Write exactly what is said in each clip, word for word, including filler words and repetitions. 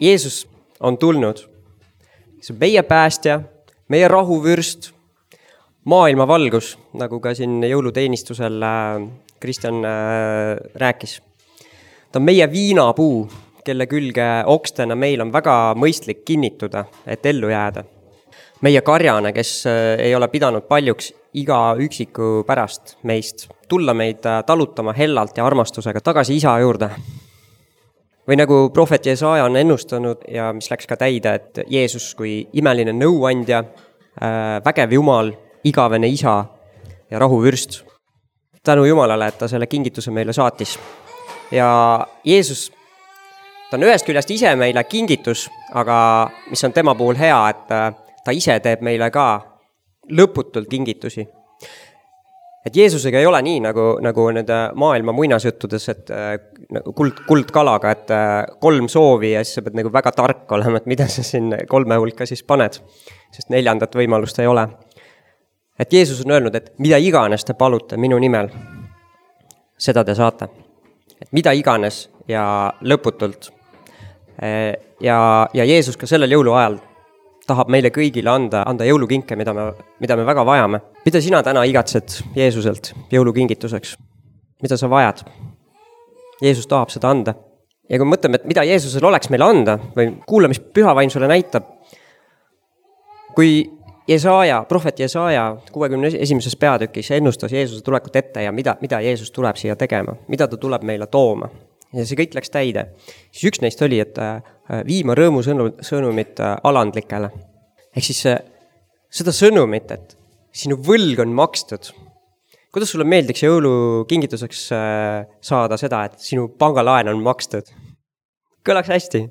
Jeesus on tulnud. See on meie päästja, meie rahuvürst, maailma valgus, nagu ka siin jõuluteenistusel Kristjan rääkis. Ta on meie viinapuu, kelle külge okstena meil on väga mõistlik kinnituda, et ellu jääda. Meie karjane, kes ei ole pidanud paljuks iga üksiku pärast meist, tulla meid talutama hellalt ja armastusega tagasi isa juurde. Või nagu prohvet Jesaja on ennustanud ja mis läks ka täide, et Jeesus kui imeline nõuandja, vägev Jumal, igavene isa ja rahuvürst. Tänu Jumalale, et ta selle kingituse meile saatis. Ja Jeesus, ta on ühest küljest ise meile kingitus, aga mis on tema puhul hea, et ta ise teeb meile ka lõputult kingitusi. Et Jeesusega ei ole nii, nagu, nagu need maailma muinasjuttudes, et kuld, kuld kalaga, et kolm soovi ja siis sa pead nagu väga tark olema, et mida sa siin kolme hulka siis paned, sest neljandat võimalust ei ole. Et Jeesus on öelnud, et mida iganes te palute minu nimel, seda te saate. Et mida iganes ja lõputult. Ja, ja Jeesus ka sellel jõuluajal tahab meile kõigile anda, anda jõulukinke, mida me, mida me väga vajame. Mida sina täna igatsed Jeesuselt jõulukingituseks? Mida sa vajad? Jeesus tahab seda anda. Ja kui mõtleme, et mida Jeesusel oleks meile anda, või kuule, mis pühavaim sulle näitab, kui Jesaja, prohvet Jesaja kuuekümne esimeses peatükis ennustas Jeesuse tulekut ette ja mida, mida Jeesus tuleb siia tegema, mida ta tuleb meile tooma. Ja see kõik läks täide. Siis üks neist oli, et viima rõõmu sõnumit alandlikele. Ehk siis seda sõnumit, et sinu võlg on makstud. Kuidas sulle meeldiks jõulukingituseks saada seda, et sinu pangalaen on makstud? Kõlaks hästi.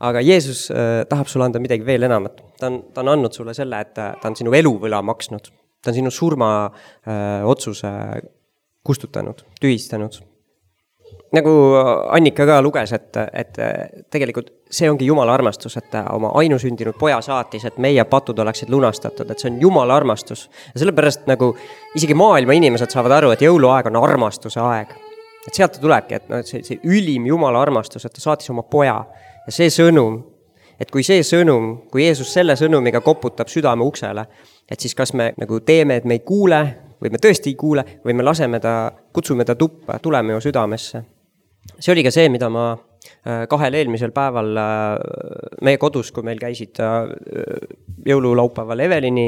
Aga Jeesus tahab sulle anda midagi veel enamat. Ta on, ta on andnud sulle selle, et ta on sinu eluvõla maksnud. Ta on sinu surma öö, otsuse kustutanud, tühistanud. Nagu Annika ka luges, et, et tegelikult see ongi Jumala armastus, et oma ainusündinud poja saatis, et meie patud oleksid lunastatud, et see on Jumala armastus. Ja sellepärast nagu isegi maailma inimesed saavad aru, et jõuluaeg on armastuse aeg. Et sealt tulebki, et, no, et see, see ülim Jumala armastus, et ta saatis oma poja. Ja see sõnum, et kui see sõnum, kui Jeesus selle sõnumiga koputab südame uksele, et siis kas me nagu teeme, et me ei kuule, või me tõesti ei kuule, või me laseme ta, kutsume ta tuppa, tuleme ju südamesse. See oli ka see, mida ma kahel eelmisel päeval meie kodus, kui meil käisid jõululaupäeval Evelini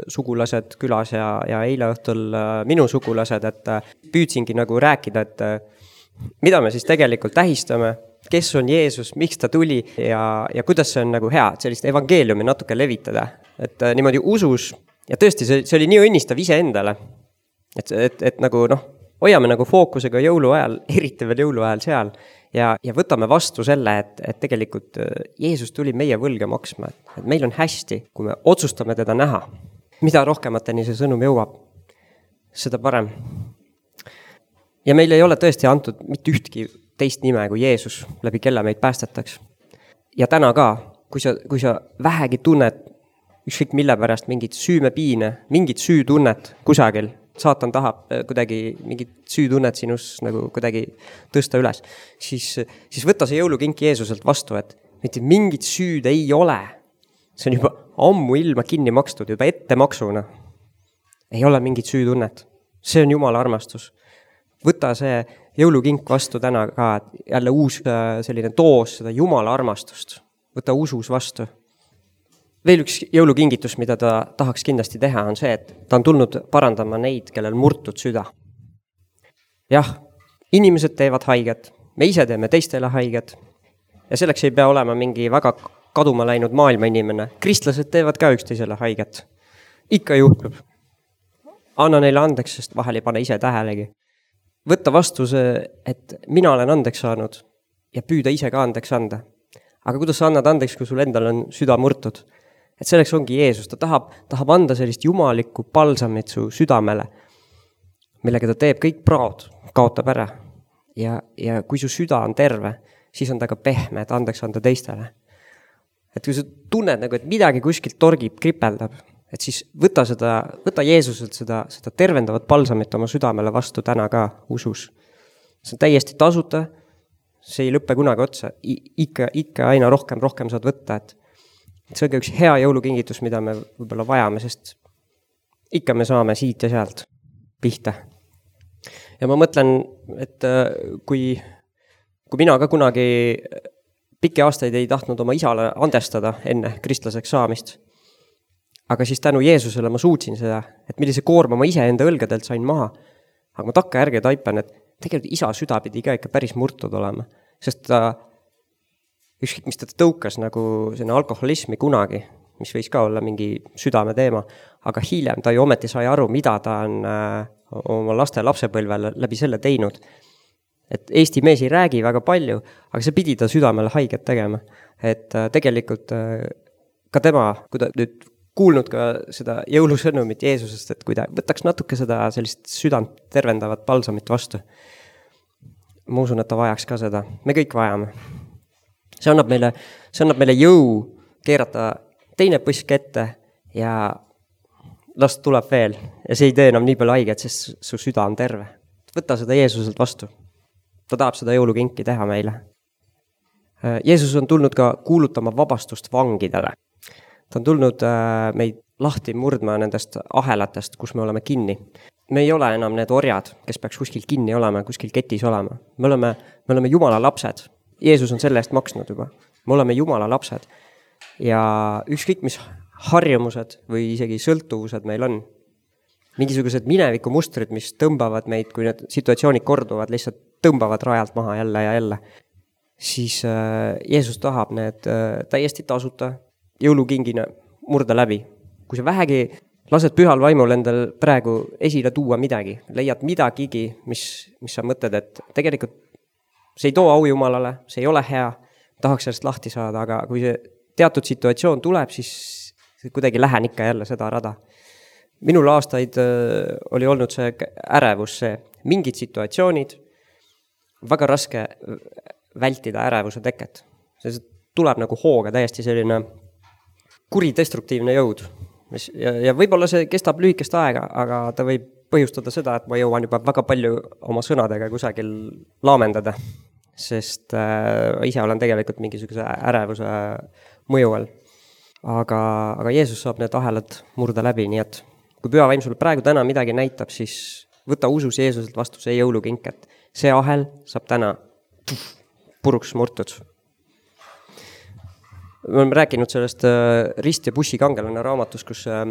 sugulased külas ja, ja eile õhtul minu sugulased, et püüdsingi nagu rääkida, et mida me siis tegelikult tähistame, kes on Jeesus, miks ta tuli ja, ja kuidas see on nagu hea, et sellist evangeeliumi natuke levitada. Et niimoodi usus, ja tõesti, see, see oli nii õnnistav ise endale, et, et, et nagu noh, hoiame nagu fookusega jõuluajal, eriti veel jõuluajal seal ja, ja võtame vastu selle, et, et tegelikult Jeesus tuli meie võlge maksma, et meil on hästi, kui me otsustame teda näha. Mida rohkemateni see sõnum jõuab, seda parem. Ja meil ei ole tõesti antud mitte ühtki teist nime kui Jeesus, läbi kelle meid päästetaks. Ja täna ka, kui sa, kui sa vähegi tunned ükskõik mille pärast mingit süümepiine, mingit süütunnet kusagil, saatan tahab kuidagi mingit süütunnet sinus nagu kuidagi tõsta üles, siis, siis võta see jõulukink Jeesuselt vastu, et mitte mingit süüd ei ole. See on juba ammu ilma kinni makstud, juba ette maksuna. Ei ole mingit süütunnet. See on Jumala armastus. Võta see jõulukink vastu täna ka, et jälle uus selline toos seda Jumala armastust. Võta usus vastu. Veel üks jõulukingitus, mida ta tahaks kindlasti teha, on see, et ta on tulnud parandama neid, kellel murtud süda. Jah, inimesed teevad haiget, me ise teeme teistele haiget ja selleks ei pea olema mingi väga kaduma läinud maailma inimene. Kristlased teevad ka üksteisele haiget. Ikka juhtub. Anna neile andeks, sest vahel ei pane ise tähelegi. Võtta vastu see, et mina olen andeks saanud ja püüda ise ka andeks anda. Aga kuidas sa annad andeks, kui sul endal on süda murtud? Et selleks ongi Jeesus, ta tahab, tahab anda sellist jumalikku palsamit su südamele, millega ta teeb kõik praod, kaotab ära. Ja, ja kui su süda on terve, siis on ta ka pehme, et andeks anda teistele. Et kui sa tunned, nagu, et midagi kuskilt torgib, kripeldab, et siis võta, seda, võta Jeesuselt seda, seda tervendavat palsamit oma südamele vastu täna ka usus. See on täiesti tasuta, see ei lõppe kunagi otsa, I, ikka, ikka aina rohkem, rohkem saad võtta, et see on ka üks hea jõulukingitus, mida me võib-olla vajame, sest ikka me saame siit ja sealt pihta. Ja ma mõtlen, et kui, kui mina ka kunagi pikki aastaid ei tahtnud oma isale andestada enne kristlaseks saamist, aga siis tänu Jeesusele ma suutsin seda, et millise koorma ma ise enda õlgadelt sain maha, aga ma takka järgi taipan, et tegelikult isa süda pidi ka ikka päris murtud olema, sest ta ükskõik, mis ta tõukas nagu selline alkoholismi kunagi, mis võis ka olla mingi südame teema, aga hiljem ta ju ometi sai aru, mida ta on äh, oma laste lapsepõlvel läbi selle teinud. Et Eesti mees ei räägi väga palju, aga see pidi ta südamele haiget tegema. Et äh, tegelikult äh, ka tema, kui ta nüüd kuulnud ka seda jõulusõnumit Jeesusest, et kui ta võtaks natuke seda sellist südant tervendavat palsamit vastu. Ma usun, et ta vajaks ka seda. Me kõik vajame. See annab meile, see annab meile jõu keerata teine põsk ette ja last tuleb veel. Ja see ei tee enam nii palju haiget, sest su süda on terve. Võta seda Jeesuselt vastu. Ta tahab seda jõulukinki teha meile. Jeesus on tulnud ka kuulutama vabastust vangidele. Ta on tulnud meid lahti murdma nendest ahelatest, kus me oleme kinni. Me ei ole enam need orjad, kes peaks kuskil kinni olema, kuskil ketis olema. Me oleme, me oleme Jumala lapsed. Jeesus on selle eest maksnud juba. Me oleme Jumala lapsed. Ja ükskõik mis harjumused või isegi sõltuvused meil on. Mingisugused mineviku mustrid, mis tõmbavad meid, kui need situatsioonid korduvad, lihtsalt tõmbavad rajalt maha jälle ja jälle. Siis äh, Jeesus tahab need äh, täiesti tasuta jõulukingina murda läbi. Kui sa vähegi lased pühal vaimul endal praegu esile tuua midagi, leiad midagigi, mis, mis sa mõtled, et tegelikult see ei too au Jumalale, see ei ole hea, tahaks sellest lahti saada, aga kui see teatud situatsioon tuleb, siis kuidagi lähen ikka jälle seda rada. Minul aastaid oli olnud see ärevus, see mingid situatsioonid, väga raske vältida ärevuse teket. See tuleb nagu hooga täiesti selline kuridestruktiivne jõud. Ja, ja võib-olla see kestab lühikest aega, aga ta võib põhjustada seda, et ma jõuan juba väga palju oma sõnadega kusagil laamendada, sest äh, ise olen tegelikult mingisuguse ärevuse mõju all. Aga, aga Jeesus saab need ahelad murda läbi, nii et kui püha vaim sulle praegu täna midagi näitab, siis võta usus Jeesuselt vastu see jõulukink, et see ahel saab täna puruks murtud. Me oleme rääkinud sellest äh, Rist ja bussi kangelane raamatus, kus äh,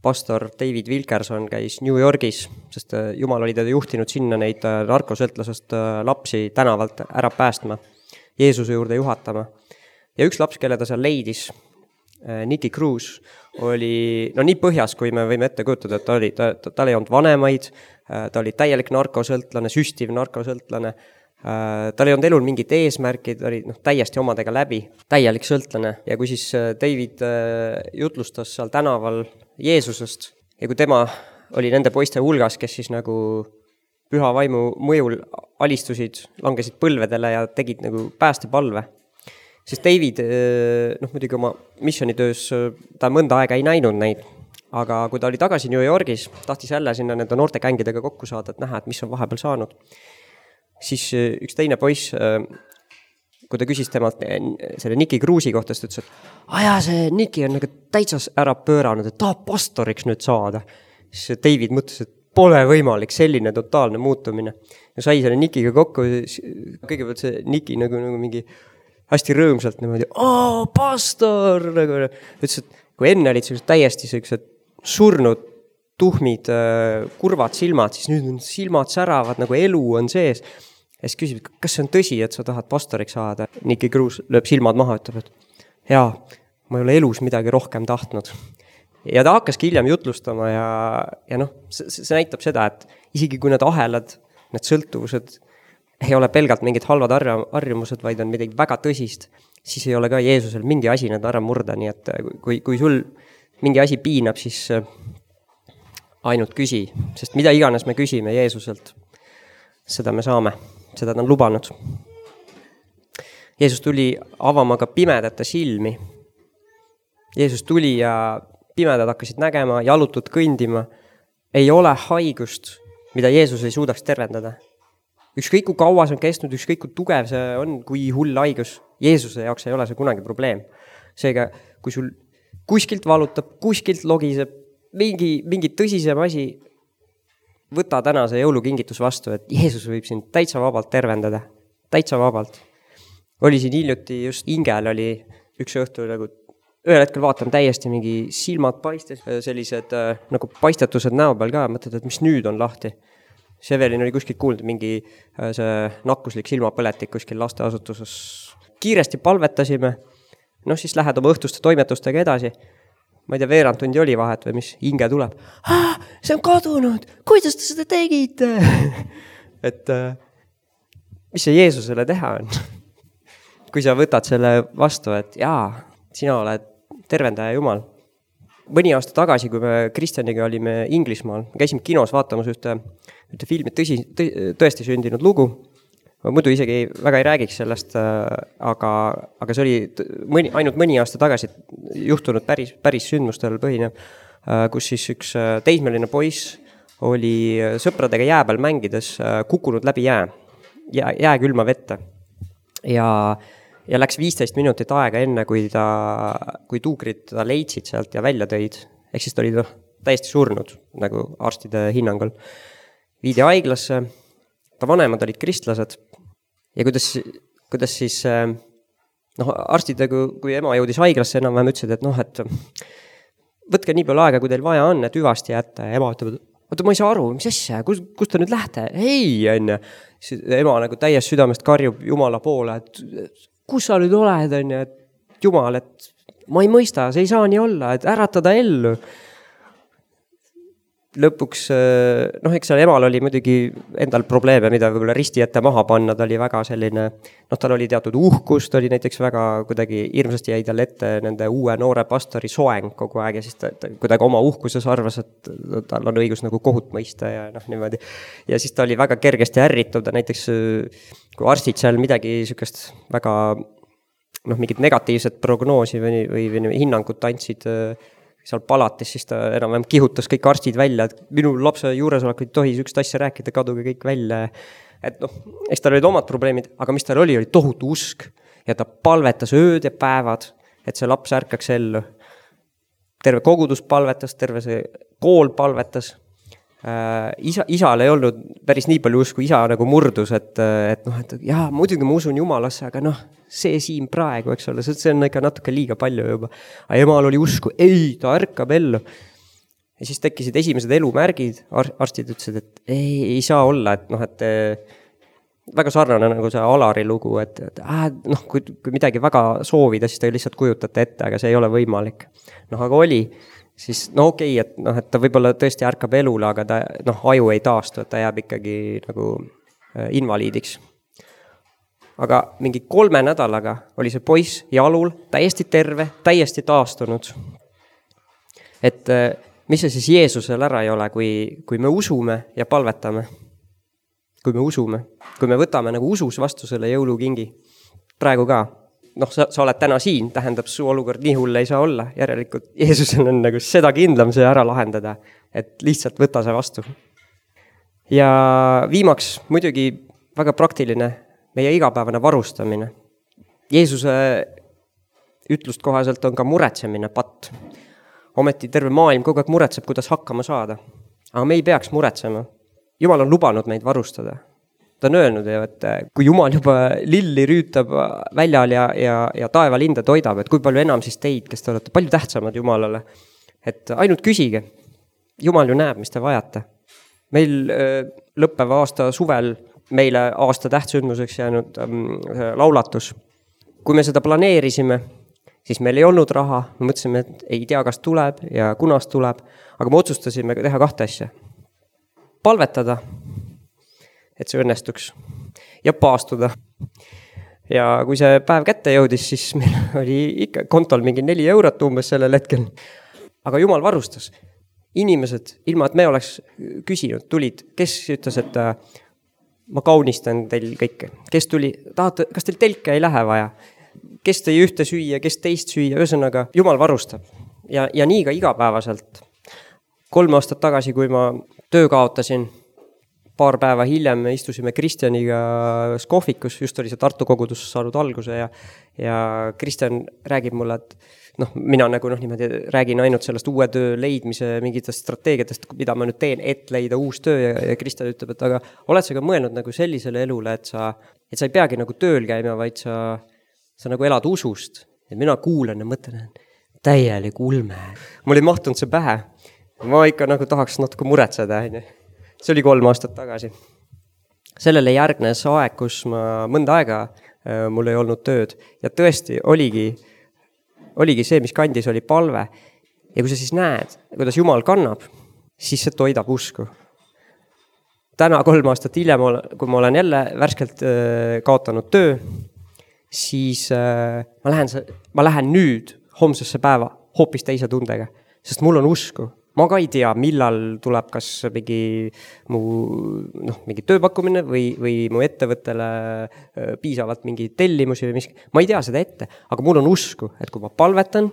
pastor David Wilkerson käis New Yorgis, sest Jumal oli teda juhtinud sinna neid narkosõltlasest lapsi tänavalt ära päästma, Jeesuse juurde juhatama. Ja üks laps, kelle ta seal leidis, Nicky Cruz, oli no nii põhjas, kui me võime ette kujutada, et ta oli, ta, ta, ta ei olnud vanemaid, ta oli täielik narkosõltlane, süstiv narkosõltlane, tal ei olnud elul mingit eesmärki, ta oli no, täiesti omadega läbi, täielik sõltlane. Ja kui siis David jutlustas seal tänaval Jeesusest ja kui tema oli nende poiste hulgas, kes siis nagu püha vaimu mõjul alistusid, langesid põlvedele ja tegid nagu päästepalve, siis David, noh muidugi oma missionitöös ta mõnda aega ei näinud neid, aga kui ta oli tagasi New Yorgis, tahtis jälle sinna nende noorte kängidega kokku saada, et näha, et mis on vahepeal saanud. Siis üks teine poiss, kui ta küsis temalt selle Nicky Cruzi kohta, siis ta ütles, et aja, see Nicky on nagu täitsa ära pööranud, et tahab pastoriks nüüd saada. Siis David mõtles, et pole võimalik selline totaalne muutumine. Ja sai selle Nickyga kokku, kõigepealt see Nicky nagu, nagu mingi hästi rõõmsalt niimoodi, aa, pastor! Nagu, ütles, et kui enne olid sellised täiesti sellised surnud, tuhmid, kurvad silmad, siis nüüd on silmad säravad, nagu elu on sees. Ja siis küsib, kas see on tõsi, et sa tahad pastoriks saada? Nicky Cruz lööb silmad maha, ütleb, et jaa, ma ei ole elus midagi rohkem tahtnud. Ja ta hakkaski hiljem jutlustama ja, ja noh, see, see näitab seda, et isegi kui need ahelad, need sõltuvused ei ole pelgalt mingid halvad harjumused, vaid on midagi väga tõsist, siis ei ole ka Jeesusel mingi asi need ära murda, nii et kui, kui sul mingi asi piinab, siis ainult küsi, sest mida iganes me küsime Jeesuselt, seda me saame, seda ta on lubanud. Jeesus tuli avama ka pimedate silmi. Jeesus tuli ja pimedad hakkasid nägema, jalutud kõndima. Ei ole haigust, mida Jeesus ei suudaks tervendada. ükskõik kui kaua see on kestnud, ükskõik kui tugev see on, kui hull haigus, Jeesuse jaoks ei ole see kunagi probleem. Seega, kui sul kuskilt valutab, kuskilt logiseb, mingi, mingi tõsisem asi, võta täna see jõulukingitus vastu, et Jeesus võib sind täitsa vabalt tervendada, täitsa vabalt. Oli siin hiljuti just Ingel oli üks õhtu nagu ühel hetkel vaatan täiesti mingi silmad paistes, sellised nagu paistetused näo peal ka, mõtled, et mis nüüd on lahti. Sevelin oli kuskilt kuulnud mingi see nakkuslik silmapõletik kuskil lasteasutuses. Kiiresti palvetasime, noh siis lähed oma õhtuste toimetustega edasi. Ma ei tea, veerand tundi oli vahet või mis, Inge tuleb. Ah, see on kadunud, kuidas te seda tegite? Et mis see Jeesusele teha on? Kui sa võtad selle vastu, et jaa, sina oled tervendaja Jumal. Mõni aasta tagasi, kui me Kristjaniga olime Inglismaal, käisime kinos vaatamas ühte, ühte filmi tõsi, tõesti sündinud lugu. Ma muidu isegi väga ei räägiks sellest, aga, aga see oli mõni, ainult mõni aasta tagasi juhtunud päris, päris sündmustel põhinev, kus siis üks teismeline poiss oli sõpradega jää peal mängides kukkunud läbi jää, jää, jää külma vette. Ja Ja läks viisteist minutit aega enne, kui, ta, kui tuukrid ta leidsid sealt ja välja tõid. Ehk siis ta oli täiesti surnud, nagu arstide hinnangul. Viidi haiglasse, ta vanemad olid kristlased. Ja kuidas, kuidas siis, noh, arstid, kui ema jõudis haiglasse, enam vähem ütlesid, et noh, et võtke nii palju aega, kui teil vaja on, et hüvasti jätta. Ja ema ütleb, oota, ma ei saa aru, mis asja, kus, kus ta nüüd lähte? Ei, on ja. Ema nagu täies südamest karjub Jumala poole, et kus sa nüüd oled, on ja, et Jumal, et ma ei mõista, see ei saa nii olla, et äratada ellu. Lõpuks, noh, eks seal emal oli muidugi endal probleeme, mida võib-olla risti ette maha panna, ta oli väga selline, noh, tal oli teatud uhkus, ta oli näiteks väga kuidagi hirmsasti jäi tal ette nende uue noore pastori soeng kogu aeg ja siis ta, ta kuidagi oma uhkuses arvas, et tal on õigus nagu kohut mõista ja noh, niimoodi. Ja siis ta oli väga kergesti ärrituv, ta näiteks kui arstid seal midagi sükest väga, noh, mingit negatiivset prognoosi või, või, või hinnangut andsid seal palatis, siis ta enam kihutas kõik arstid välja, et minu lapse juuresolek ei tohi üks asja rääkida, kaduge kõik välja. Et noh, eks tal olid omad probleemid, aga mis tal oli, oli tohutu usk ja ta palvetas ööd ja päevad, et see laps ärkaks ellu. Terve kogudus palvetas, terve see kool palvetas. Isa, isal ei olnud päris nii palju usku, isa nagu murdus, et, et noh, et jaa, muidugi ma usun Jumalasse, aga noh, see siin praegu, eks ole, see on ikka natuke liiga palju juba. Aga emal oli usku, ei, ta ärkab ellu. Ja siis tekkisid esimesed elumärgid, arstid ütlesid, et ei, ei saa olla, et noh, et väga sarnane nagu see Alari lugu, et, et äh, noh, kui, kui midagi väga soovida, siis ta lihtsalt kujutate ette, aga see ei ole võimalik. Noh, aga oli siis no okei, okay, et, noh, et ta võib-olla tõesti ärkab elule, aga ta noh, aju ei taastu, et ta jääb ikkagi nagu invaliidiks. Aga mingi kolme nädalaga oli see poiss jalul, täiesti terve, täiesti taastunud. Et mis see siis Jeesusel ära ei ole, kui, kui me usume ja palvetame. Kui me usume, kui me võtame nagu usus vastu selle jõulukingi. Praegu ka. Noh, sa, sa oled täna siin, tähendab su olukord nii hull ei saa olla. Järelikult Jeesusel on nagu seda kindlam see ära lahendada, et lihtsalt võta see vastu. Ja viimaks muidugi väga praktiline meie igapäevane varustamine. Jeesuse ütlust kohaselt on ka muretsemine patt. Ometi terve maailm kogu aeg muretseb, kuidas hakkama saada. Aga me ei peaks muretsema. Jumal on lubanud meid varustada. Ta on öelnud, et kui Jumal juba lilli rüütab väljal ja, ja, ja taevalinde toidab, et kui palju enam siis teid, kes te olete palju tähtsamad Jumalale. Et ainult küsige. Jumal ju näeb, mis te vajate. Meil lõppeva aasta suvel meile aasta tähtsündmuseks jäänud ähm, laulatus. Kui me seda planeerisime, siis meil ei olnud raha. Me mõtlesime, et ei tea, kas tuleb ja kunas tuleb, aga me otsustasime teha kahte asja. Palvetada, et see õnnestuks, ja paastuda. Ja kui see päev kätte jõudis, siis meil oli ikka kontol mingi neli eurot umbes sellel hetkel. Aga Jumal varustas. Inimesed, ilma et me oleks küsinud, tulid, kes ütles, et ma kaunistan teil kõike. Kes tuli, tahate, kas teil telke ei lähe vaja? Kes tõi ühte süüa, kes teist süüa, ühesõnaga Jumal varustab. Ja, ja nii ka igapäevaselt. Kolm aastat tagasi, kui ma töö kaotasin, paar päeva hiljem istusime Kristjaniga Skohvikus, just oli see Tartu kogudus saanud alguse ja, ja Kristjan räägib mulle, et noh, mina nagu noh, niimoodi räägin ainult sellest uue töö leidmise mingitest strateegiatest, mida ma nüüd teen, et leida uus töö ja, ja Kristjan ütleb, et aga oled sa ka mõelnud nagu sellisele elule, et sa, et sa ei peagi nagu tööl käima, vaid sa, sa nagu elad usust. Ja mina kuulen ja mõtlen, täielik ulme. Mul ei mahtunud see pähe. Ma ikka nagu tahaks natuke muretseda. See oli kolm aastat tagasi. Sellele järgnes aeg, kus ma mõnda aega äh, mul ei olnud tööd. Ja tõesti oligi, oligi see, mis kandis, oli palve. Ja kui sa siis näed, kuidas Jumal kannab, siis see toidab usku. Täna kolm aastat hiljem, kui ma olen jälle värskelt äh, kaotanud töö, siis äh, ma, lähen, ma lähen nüüd homsesse päeva hoopis teise tundega, sest mul on usku. Ma ka ei tea, millal tuleb kas mingi, mu, noh, mingi tööpakkumine või, või mu ettevõttele piisavalt mingi tellimusi või miski. Ma ei tea seda ette, aga mul on usku, et kui ma palvetan,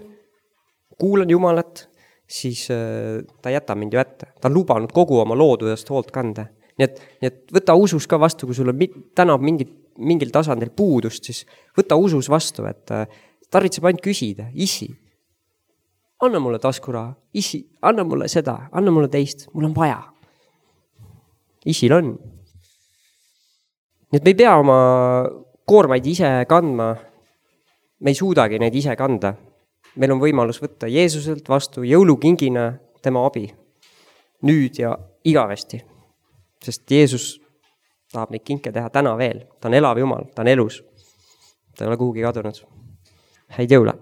kuulan Jumalat, siis ta jätab mind ju ette. Ta on lubanud kogu oma loodudest hoolt kanda. Nii et, nii et võta usus ka vastu, kui sul on täna mingit, mingil tasandil puudust, siis võta usus vastu, et tarvitseb ainult küsida, isi. Anna mulle taskuraha, isi, anna mulle seda, anna mulle teist, mul on vaja. Isil on. Nii et me ei pea oma koormaid ise kandma, me ei suudagi neid ise kanda. Meil on võimalus võtta Jeesuselt vastu jõulukingina tema abi. Nüüd ja igavesti. Sest Jeesus tahab neid kinke teha täna veel. Ta on elav Jumal, ta on elus. Ta ei ole kuhugi kadunud. Häid jõule!